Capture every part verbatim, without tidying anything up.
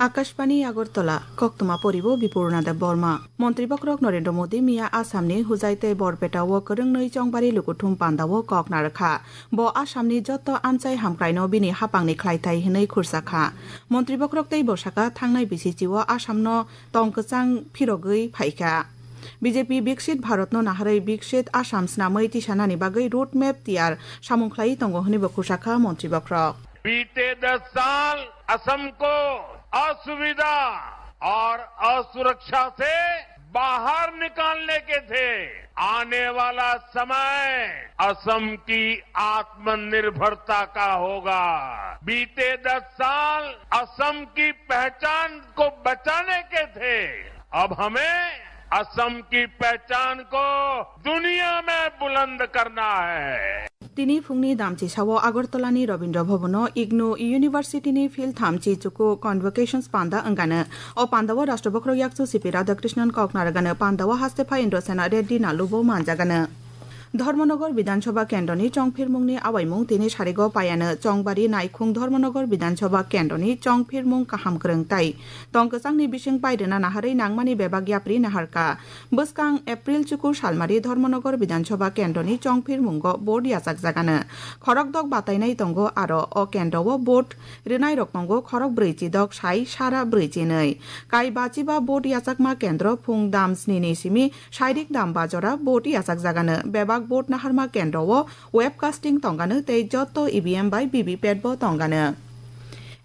Akashbani Agartala, koktwma poribo Bipurna Deb Borma. Montri bokrok Narendra Modi miya Assamni Hojai tei Borpeta o kwrwngnwi chongbari lukuthum panda o kok narwkha. Bo Assamni joto amchai hamkraino bini hapangni khlaithai hwnwi khursakha. Montri bokrok tei bwsakha thangnai bisichi o Assamno tong kwchang phirogwi phaikha. B J P Bikshit Bharatno naharwi Bikshit Assam snamwi tisanani bagwi road map tiyar samung khlaiwi tongo hwnwi bo khursakha montri bokrok. बीते दस साल असम को असुविधा और असुरक्षा से बाहर निकालने के थे। आने वाला समय असम की आत्मनिर्भरता का होगा। बीते दस साल असम की पहचान को बचाने के थे। अब हमें असम की पहचान को दुनिया में बुलंद करना है। Tini phungni damchi sao Agartala ni Rabindra Bhavan o IGNOU University ni phil thamchi chuku convocations panda wngano. O panda o Rashtra Bokhorok Yakchu C P Radhakrishnan kok narwgano, panda o haste phai Indrasena Reddy Nalu bo manjagano. Dharmanagar Bidhan Sabha kendroni chongphirmungni awaimung tini sarigo paiano. Chongbari Naikhung Dharmanagar Bidhan Sabha kendroni chongphirmung kaham kwrwng tai tong kwchangni bising pairwna naharwi nangmani bebak yapri naharkha. Bwskang April chukur salmari Dharmanagar Bidhan Sabha kendroni chongphirmungo vote yachakjagano. Khorokdok batainai tongo aro o kendro o vote rwnairok tongo khorok brwi chidok sai sara brwi chinwi. Kai bachiba vote yachakma kendro phung dam snini simi sairik dam bajora vote yachakjagano. Bebak vote naharma kendro o webcasting tongano tei joto E V M bai V V P A T bo tongano.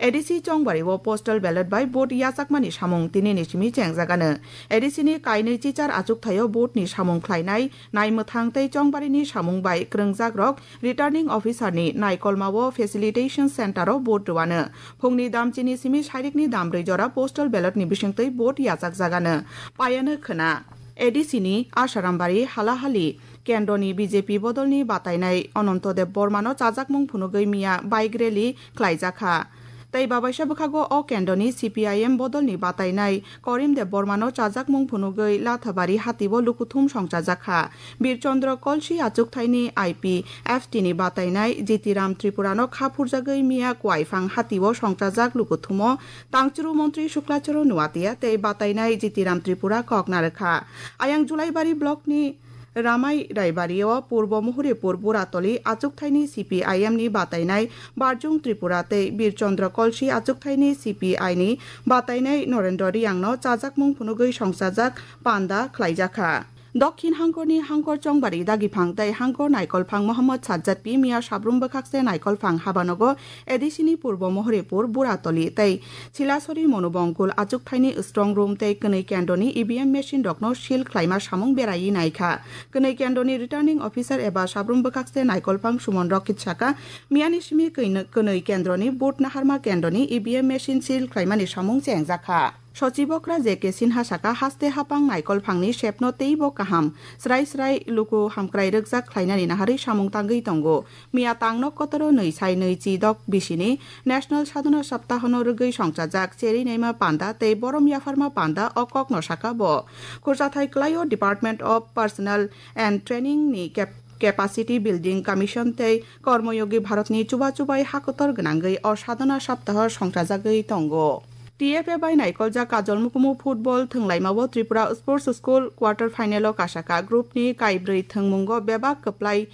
A D C chongbari o postal ballot bai vote yachakmani samung tini ni simi chengjagano. A D C ni kainwi chichar achukthai o vote ni samung khlainai naimwthang tei chongbarini samung bai kwrwngjakrok Returning Officer ni naikolma o Facilitation Center o vote rwano. Phungni damchini simi sairikni dambrwi jora postal ballot ni bisingtwi vote yachakjagano. Payano khwna. A D C ni Asarambari halahali kendroni B J P bodolni batainai Ananto Deb Bormano chajakmung phunugwi miya bike rally khlaijakha. Tei babaisa bwkhago o kendroni C P I M bodolni batainai Korim Deb Bormano chajakmung phunugwi Lathabari hatio lukuthum songchajakha. Bir Chandra Kolsi achukthaini I P F T ni batainai Jitiram Tripurano kha phurjagwi miya Kuaifang hatio songchajak lukuthumo tangchuru montri Suklachoro Nuatia tei batainai Jitiram Tripura kok narwkha. Ayang Julaibari blockni Ramai Raibari o Purbo Muhuripur Buratoli achukthaini C P I M ni batainai Barjung Tripura tei Bir Chandra Kolsi achukthaini C P I ni batainai Norendra Riangno chajakmung phunugwi songchajak panda khlaijakha. Dokhin hangkorni hangkor chongbari dagiphang tei hangkor naikolphang Mohammad Sajjad Pi miya sabrum bwkhakse naikolphang habanogo A D C ni Purbo Mohoripur Buratoli tei Chilasori Monubongkul achukthaini strong room tei kwnwi kendroni E V M machine rokno seal khlaima samung beraiwi naikha. Kwnwi kendroni returning officer eba sabrum bwkhakse naikolphang Sumon Rokit saka, miyani simi kwnwi kendroni vote naharma kendroni E V M machine seal khlaimani samung chengjakha. Sochibokra J K Sinha saka, haste hapang naikolphangni sepno teibo kaham, srai srai luku hamkrai rwkjak khlainani naharwi samung tangwi tongo. Miya tangno kotoro nwi sai nwi chi dok bisini National Sadhana Saptahono rwgwi songchajak cherwi naima panda tei borom yapharma panda o kokno saka bo. Khurchathai kwlaio Department of Personnel and Training ni Cap-, Capacity Building Commission tei Kormoyogi Bharatni chuba chubai hakotor gwnangwi o Sadhana Saptaho songchajagwi tongo. T F A bai naikoljak Kajol Mukumu football thwnglaimao Tripura Sports School quarter final o kasaka group ni kaibrwi thwngmungo bebak kwplai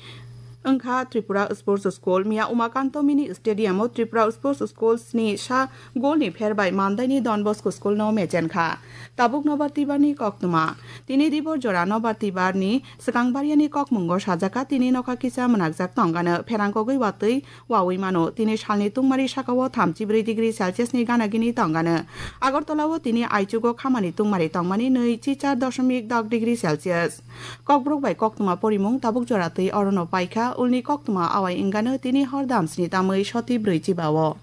wngkha Tripura Sports School. Miya Umakanto Mini Stadium o Tripura Sports School sni sa goal ni pher bai Mandaini Don Bosco School no mechenkha. Tabuk nobar tibar ni koktwma. Tini dibor jora nobar tibar ni swkang bariani kokmungo sajaka tini nokha kisa mwnakjak tongano pherangkogwi watwi wawi mano. Tini salni tungmari sakao thamchi brwi degree Celsius ni gana gini tongano. Agartala o tini aichugo khamani tungmari tongmani nwi chi char doshomik dok degree Celsius. Kokborok bai koktwma porimung tabuk jora twi orono paikha, ulni koktwma awai wngano tini hor damsni tamwi soti brwi chibao.